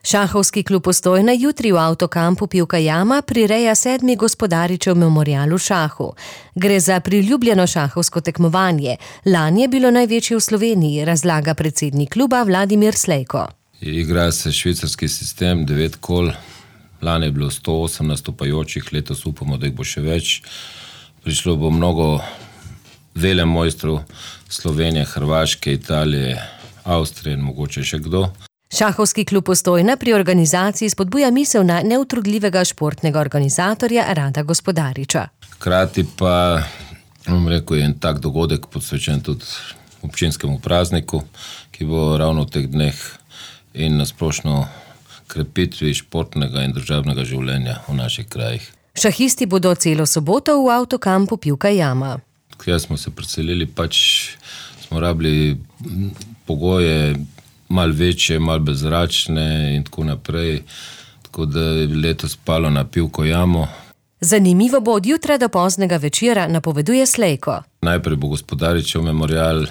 Šahovski klub Postojna jutri v avtokampu Pivka jama prireja 7. gospodaričev memorial v šahu. Gre za priljubljeno šahovsko tekmovanje. Lani je bilo največje v Sloveniji, razlaga predsednik kluba Vladimir Slejko. Igra se švicarski sistem, 9 kol. Lani je bilo 108 nastopajočih, letos upamo, da jih bo še več. Prišlo bo mnogo velemojstrov Slovenije, Hrvaške, Italije, Avstrije in mogoče še kdo. Šahovski klub Postojna pri organizaciji spodbuja misel na neutrudljivega športnega organizatorja Rada Gospodariča. Hkrati pa, je en tak dogodek posvečen tudi občinskemu prazniku, ki bo ravno v teh dneh in nasplošno krepitvi športnega in državnega življenja v naših krajih. Šahisti bodo celo soboto v avtokampu Pivka jama. Kjer smo se preselili, smo rabili pogoje malo večje, malo brezračne in tako naprej, tako da je letos spalo na Pivko jamo. Zanimivo bo od jutra do poznega večera, napoveduje Slejko. Najprej bo gospodaričev memorial,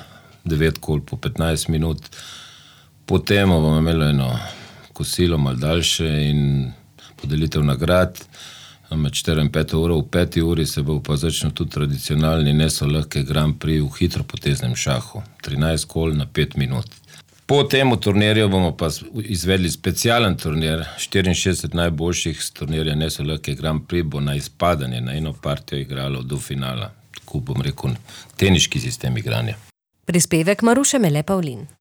9 kol po 15 minut, potem bomo imeli eno kosilo malo daljše in podelitev nagrad. Med 4 in 5 uro, v 5 uri se bo pa začel tudi tradicionalni nesolahki Grand Prix v hitropoteznem šahu. 13 kol na 5 minut. Po tem turnirju bomo pa izvedli specialen turnir, 64 najboljših z turnirja nesolahki Grand Prix bo na izpadanje, na eno partijo igralo do finala. Tako teniški sistem igranja. Prispevek Maruše Mele Pavlin.